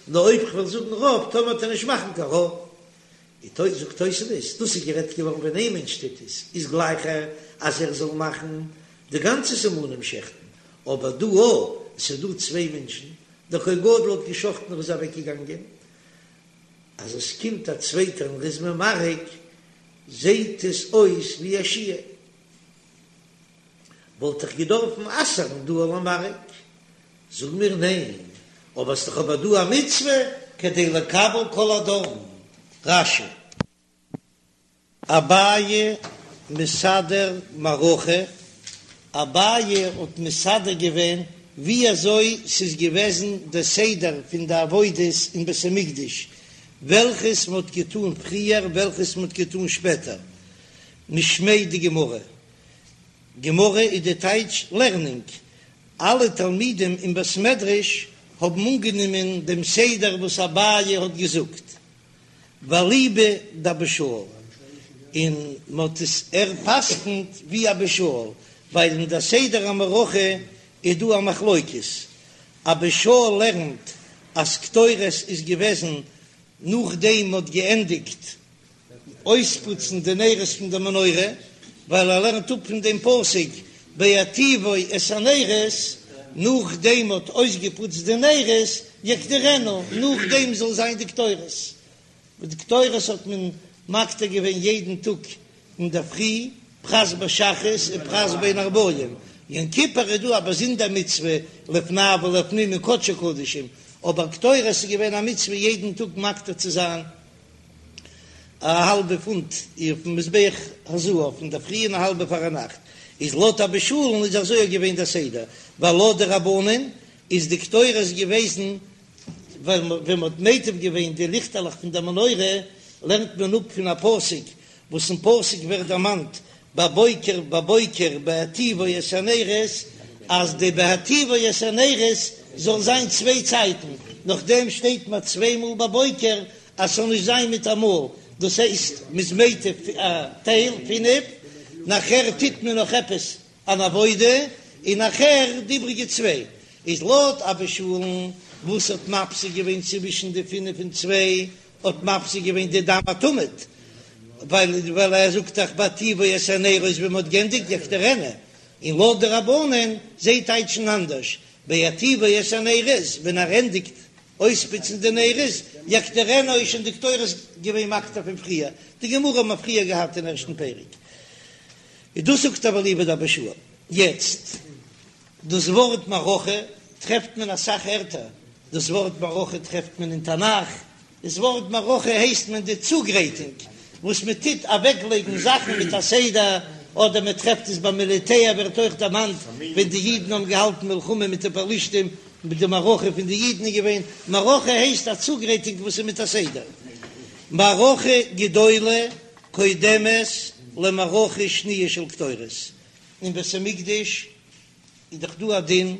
נאר אויב כ'וועל זאגן רוב, טאמער וועט ער נישט מאכן קיין רוב. איז זאגט תוספות, דאס איז גערעדט געווארן ווען איין מענטש טוט עס, איז גלייכער אז ער זאל מאכן די גאנצע סימנים שעכטן, אבער דא אויב עס איז דא צוויי מענטשן, דער כהן גדול האט געשחטן און איז אוועק געגאנגען, אז עס קומט א צווייטער און ר'איז ממרק, זעהט עס אויס ווי א שיור. וואלט איך געדארפן אסר'ן דא למרק? זאג מיר ניין, אבער ס'דאך אבער דא א מצוה כדי לקבל כל הדם. רש"י. אביי מסדר מערכה, אביי האט מסדר געווען ווי אזוי ס'איז געוועזן די סדר פון די עבודות אין בית המקדש, וועלכעס מ'האט געטאן פריער וועלכעס מ'האט געטאן שפעטער, משמיה דגמרא, גמרא איז די טייטש לערנונג, אלע תלמידים אין בית מדרש האבן אנגענומען דעם סדר וואס אביי האט געזאגט, ואליבא דאבא שאול, און מען האט עס ער פסק'נט ווי אבא שאול, ווייל אין די סדר המערכה איז דא א מחלוקת. אבא שאול לערנט אז קטורת איז געוועזן נאכדעם מ'האט געענדיגט אויספוצן די נרות פון די מנורה, ווייל ער לערנט אפ פון דעם פסוק בהיטיבו את הנרות, נאכדעם מ'האט אויסגעפוצט די נרות יקטירנה, נאכדעם זאל זיין די קטורת. די קטורת האט מען מקטיר געווען יעדן טאג אינדערפרי, פרס בשחרית און פרס בין הערבים, יום כיפור איז דא א באזונדער מצוה לפני ולפנים אין קדשי קדשים, אבער קטורת איז געווען א מצוה יעדן טאג מקטיר צו זיין א האלבע פונט אויפן מזבח הזהב אינדערפרי און א האלבע פארנאכט, איז לויט אבא שאול'ן איז אזוי געווען דער סדר, ווייל לויט די רבנן איז די קטורת געוועזן ווען מען האט מיטיב געווען די ליכטעלעך פון דער מנורה, לערנט מען אפ פון א פסוק, וואס אין פסוק ווערט דערמאנט בבוקר בבוקר בהיטיבו את הנרות, אז די בהיטיבו את הנרות זאל זיין צוויי צייטן, נאכדעם שטייט מען צוויי מאל בבוקר אז ס'זאל נישט זיין מיטאמאל, דאס הייסט מ'איז מיטיב א טייל פינף, נאכער טוט מען נאך עפעס אן עבודה, און נאכער די איבריגע צוויי, איז לויט אבא שאול'ן וואס האט מפסיק געווען צווישן די פינף און צוויי, האט מפסיק געווען די דם התמיד, ווייל ווייל ער זאגט דאך בהיטיבו את הנרות ווען מ'האט גענדיגט יקטירנה, און לויט די רבנן, זיי טייטשן אנדערש, בהיטיבו את הנרות, ווען ער ענדיגט אויספוצן די נרות, יקטירנה איז שוין די קטורת געווען מקטיר פון פריער, די גמרא האבן מיר פריער געהאט אין ערשטן פרק. איז דאס זאגט אבער אליבא דאבא שאול. יעצט, דאס ווארט מערכה טרעפט מען אסאך ערטער, דאס ווארט מערכה טרעפט מען אין תנך, דאס ווארט מערכה הייסט מען די צוגרייטונג וואס מען טוט אוועקלייגן זאכן מיט א סדר, אדער מען טרעפט עס ביי מיליטער ווערט אויך דערמאנט ווען די אידן האבן געהאלטן מלחמה מיט די פלשתים, מיט די מערכה פון די אידן איז געווען, מערכה הייסט א צוגרייטונג וואס איז מיט א סדר. מערכה גדולה קודמת למערכה שניה של קטורת, אין בית המקדש איז דאך דא א דין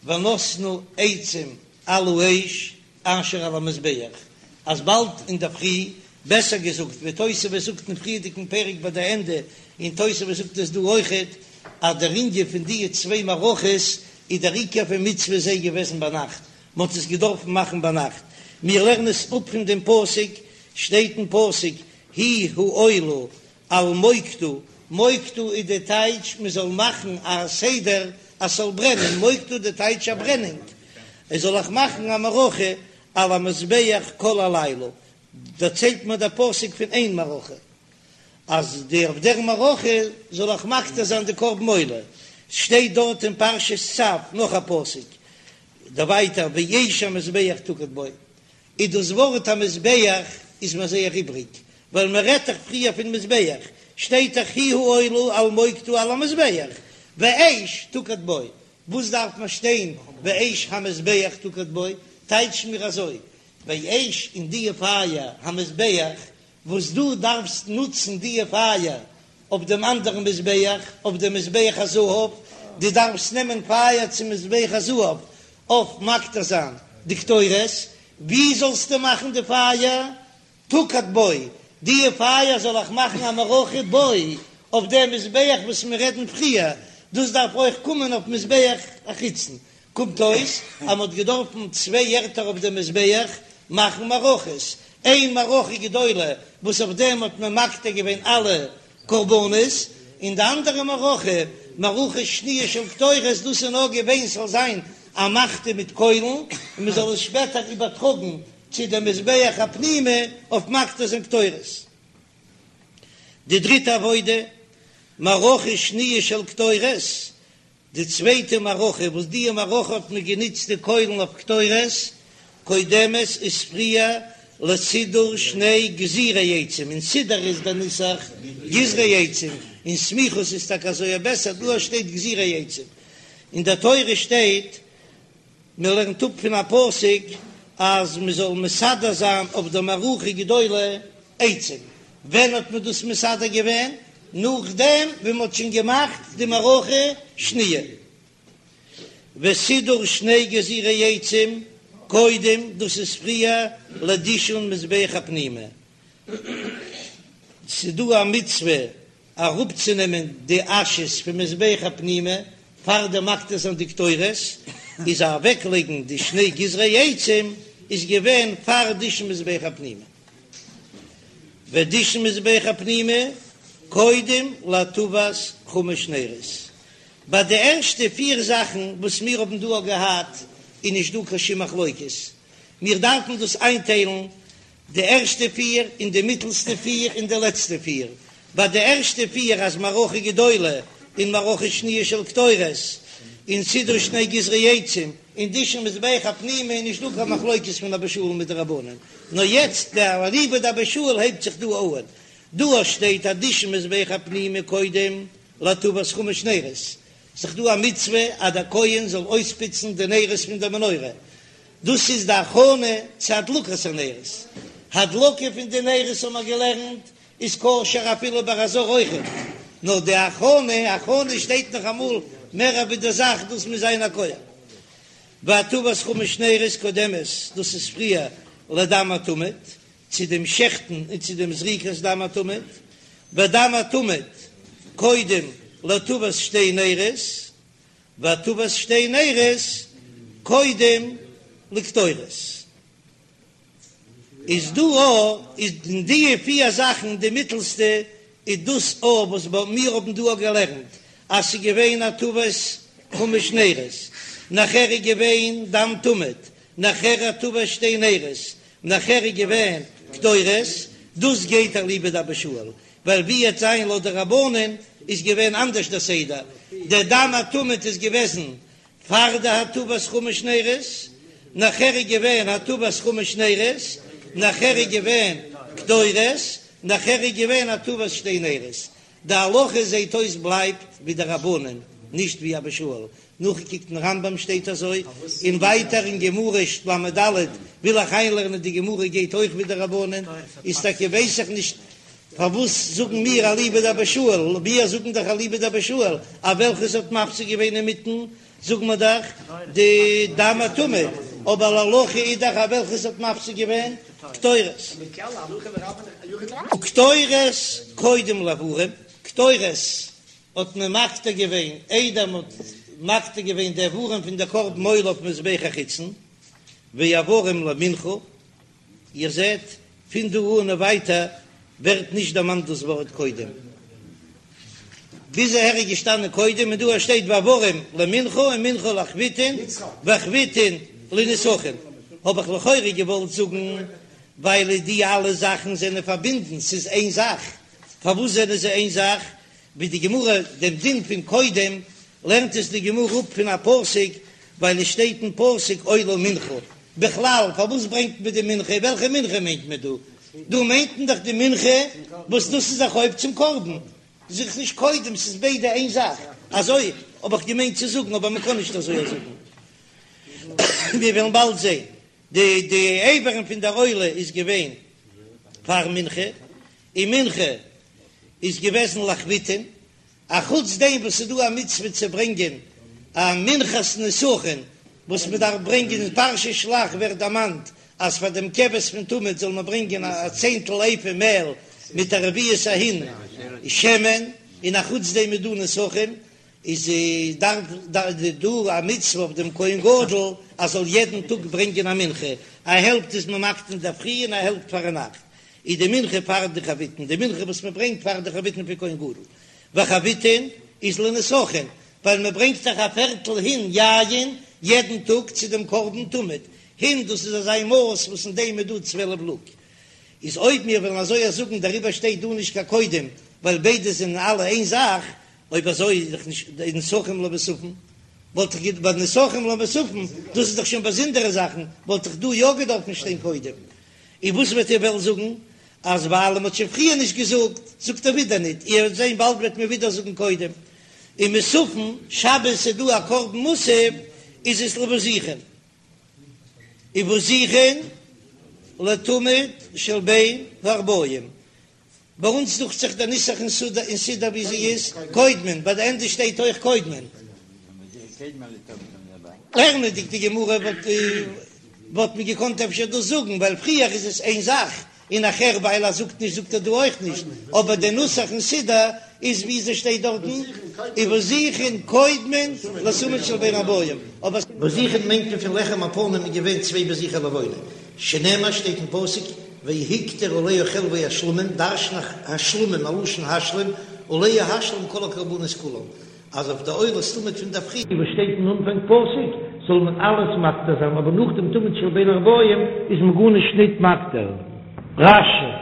ונתנו עצים על האש אשר על המזבח, אז באלד אינדערפרי, בעסער געזאגט ווי תוספות זאגט אין פריערדיגן פרק ביי די ענדע, און תוספות זאגט עס דא אויכעט, אז דער ענין פון די צוויי מערכות איז דער עיקר פון מצוה זיי געוועזן ביינאכט, מען האט עס געדארפן מאכן ביינאכט, מיר לערנען עס אפ פון דעם פסוק, שטייט אין פסוק היא העולה על מוקדה, מוקדה איז די טייטש מען זאל מאכן א סדר אז ס'זאל ברענען, מוקדה די טייטש א ברענונג, עס זאל איך מאכן א מערכה על המזבח כל הלילה, דערציילט מיר דער פסוק פון איין מערכה, אז די אויף דער מערכה זאל איך מקטיר זיין די קרבן עולה, שטייט דארט אין פרשת צו נאך א פסוק, דערווייטער ואש המזבח תוקד בו, איז דאס ווארט המזבח איז מיר זייער איבריג, ווייל מען רעדט דאך פריער פון מזבח, שטייט דאך היא העולה על מוקדה על המזבח, ואש תוקד בו, וואס דארף מען שטיין ואש המזבח תוקד בו, טייטש מיר אזוי, ואש און דיע פייער המזבח וואס דו דארפסט נוצן דיע פייער אויף דעם אנדערן מזבח, אויף דעם מזבח הזהב, דו דארפסט נעמען פייער צום מזבח הזהב אויף מקטיר זיין די קטורת, ווי זאלסטו מאכן די פייער? תוקד בו, דיע פייער זאל איך מאכן א מערכה בו, אויף דעם מזבח וואס מיר רעדן פריער, דאס דארף אויך קומען אויף מזבח החיצון, קומט אויס אז מען האט געדארפן צוויי ערטער אויף דעם מזבח מאכן מערכות, איין מערכה גדולה וואס אויף דעם האט מען מקטיר געווען אלע קרבנות, און די אנדערע מערכה, מערכה שניה של קטורת, דאס איז נאר געווען ס'זאל זיין א מחתה מיט קוילן און מען זאל עס שפעטער איבערטראגן צו דעם מזבח הפנימי אויף מקטיר זיין קטורת. די דריטע עבודה, מערכה שניה של קטורת, די צווייטע מערכה, וואס דיע מערכה האט מען גענוצט די קוילן אויף קטורת, קודמת איז פריער לסידור שני גזירי עצים, אין סידור איז דער נוסח גזרי עצים, אין סמיכות איז טאקע אזוי בעסער, דא שטייט גזירי עצים, אין דער תורה שטייט. מען לערנט אפ פון א פסוק אז מען זאל מסדר זיין אויף דער מערכה גדולה עצים, ווען האט מען דאס מסדר געווען? נאכדעם ווען מען האט שוין געמאכט די מערכה שניה, וסידור שני גזירי עצים קודם, דאס איז פריער לדישון מזבח הפנימי, ס'דא א מצוה אראפצונעמען די אשעס פון מזבח הפנימי פאר דעם מקטיר זיין די קטורת. איז אוועקלייגן די שני גזרי עצים איז געווען פאר דישון מזבח הפנימי, ודישון מזבח הפנימי קודם להטבת חמש נרות, ביי די ערשטע פיר זאכן וואס מיר האבן דא געהאט איז נישט דא קיין שום מחלוקת, מיר דארפן דאס איינטיילן די ערשטע פיר און די מיטלסטע פיר און די לעצטע פיר. ביי די ערשטע פיר אז מערכה גדולה און מערכה שניה של קטורת און סידור שני גזרי עצים און דישון מזבח הפנימי איז נישט דא קיין מחלוקת פון אבא שאול מיט די רבנן, נאר יעצט די אליבא דאבא שאול הייבט זיך דא אהן, דא שטייט אז דישון מזבח הפנימי קודם להטבת חמש נרות, ס'איז דא א מצוה אז דער כהן זאל אויספוצן די נרות פון דער מנורה, דאס איז די הכנה צו הדלקת הנרות, הדלקה פון די נרות האבן מיר געלערנט איז כשר אפילו ביי א זר אויכעט, נאר די הכנה, הכנה שטייט נאך אמאל מער ווי די זאך, דאס מוז זיין א כהן. והטבת חמש נרות קודמת, דאס איז פריער לדם התמיד, צו דעם שעכטן און צו דעם זריקת דם התמיד, ודם התמיד קודם להטבת שתי נרות, והטבת שתי נרות קודם לקטורת. איז דא א איז אין די פיר זאכן די מיטלסטע איז דאס א וואס מיר האבן דא געלערנט אז ס'איז געווען הטבת חמש נרות, נאכער איז געווען דם תמיד, נאכער הטבת שתי נרות, נאכער איז געווען קטורת, דאס גייט אליבא דאבא שאול, ווייל ווי עט זיין לויט די רבנן איז געווען אנדערש דער סדר, דער דם התמיד איז געוועזן פאר די הטבת חמש נרות, נאכער איז געווען הטבת חמש נרות, נאכער איז געווען קטורת, נאכער איז געווען הטבת שתי נרות, די הלכה זעהט אויס בלייבט ווי די רבנן, נישט ווי אבא שאול, נאכגעקוקט אין רמב"ם שטייט אזוי, און ווייטער אין גמרא ל"ד וויל איך איינלערנען די גמרא גייט אויך ווי די רבנן, איז טאקע ווייס איך נישט פארוואס זאגן מיר אליבא דאבא שאול, מיר זאגן דאך אליבא דאבא שאול אז וועלכעס האט מפסיק געווען אינמיטן זאגן מיר דאך די דם התמיד, אבער להלכה איז דאך אז וועלכעס האט מפסיק געווען קטורת. קטורת קודם לאיברים, קטורת האט מען מקטיר געווען איידער מען האט מקטיר געווען די איברים פון די קרבן עולה אויף מזבח החיצון, ואיברים למנחה, איר זעט, פון דא אן און ווייטער ווערט נישט דערמאנט דאס ווארט קודם. ביז אהער איז געשטאנען קודם און דא שטייט ואיברים למנחה און מנחה לחביתין וחביתין לנסכין. האב איך לכאורה געוואלט זאגן ווייל די אלע זאכן זענען פארבינדן, ס'איז איין זאך. פארוואס זענען זיי איין זאך? ווי די גמרא דעם דין פון קודם לערנט עס די גמרא אפ פון א פסוק, ווייל עס שטייט אין פסוק עולה ומנחה. בכלל פארוואס ברענגט מען די מנחה? וועלכע מנחה מיינט מען דא? דא מיינט מען דאך די מנחה וואס דאס איז א חוב צום קרבן, זיך נישט קודם, ס'איז ביידע איין זאך, אזוי האב איך געמיינט צו זאגן, אבער מען קען נישט אזוי זאגן, מיר וועלן באלד זען. די די איברים פון דער עולה איז געווען פאר מנחה, און מנחה איז געוועזן לחביתין, א חוץ דעם וואס ס'איז דא א מצוה צו ברענגען א מנחת נסכין וואס מען דארף ברענגען אין פרשת שלח ווערט דערמאנט אז פאר דעם כבש פון תמיד זאל מען ברענגען א צענטל איפה מעל מיט א רביעית ההין שמן, און א חוץ דעם איז דא נסכים, איז דארף דא א מצוה אויף דעם כהן גדול אז זאל יעדן טאג ברענגען א מנחה, א העלפט איז מען מקטיר אינדערפרי און א העלפט פארנאכט, איז די מנחה פאר די חביתין, די מנחה וואס מען ברענגט פאר די חביתין פון כהן גדול, וחביתין איז לנסכין, ווייל מען ברענגט דאך א פערטל הין יין יעדן טאג צו דעם קרבן תמיד, הין דאס איז אזא מאס וואס אין דעם איז דא צוועלף לוג, איז אויב מיר וועלן אזוי זאגן דעריבער שטייט דא נישט קיין קודם, ווייל ביידע זענען אלע איין זאך, אויב אזוי איז דאך נישט די נסכים למוספין, וואלט איך געד ביי נסכים למוספין, דאס איז דאך שוין באזונדערע זאכן, וואלט איך דא יא געדארפן שטיין קודם. און וואס וועט איר וועלן זאגן אז ווייל מען האט שוין פריער נישט געזאגט, זאגט ער ווידער ניט, איר וועט זען באלד וועט מען ווידער זאגן קודם. און מוספין, שבת איז דא א קרבן מוסף, איז עס לבזיכין. ובזיכין לתמיד של בין הערבים. ביי אונז דוכט זיך דער נוסח אין סידור ווי זי איז, קודמין, ביי די ענדע שטייט אויך קודמין. לערנענדיג די גמרא וואלט מען געקאנט אפשר דאס זאגן, ווייל פריער איז עס איין זאך, און נאכער ווייל ער זאגט נישט זאגט ער דא אויך נישט, אבער דער נוסח אין סידור איז ווי אזוי שטייט דארטן. ובזיכין קודמין לתמיד של בין הערבים, אבער. בזיכין מיינט מען פון לחם הפנים איז געווען צוויי בזיכי לבונה, שנאמר שטייט אין פסוק והקטיר עליה חלבי השלמים, דרש'ן איך השלמים א לשון השלם, עליה השלים כל הקרבנות כולם, אז אויף די עולת תמיד פון דער פרי. וואס שטייט אין אנפאנג פסוק זאל מען אלעס מקטיר זיין, אבער נאך דעם תמיד של בין הערבים איז מען גארנישט ניט מקטיר. רש"י.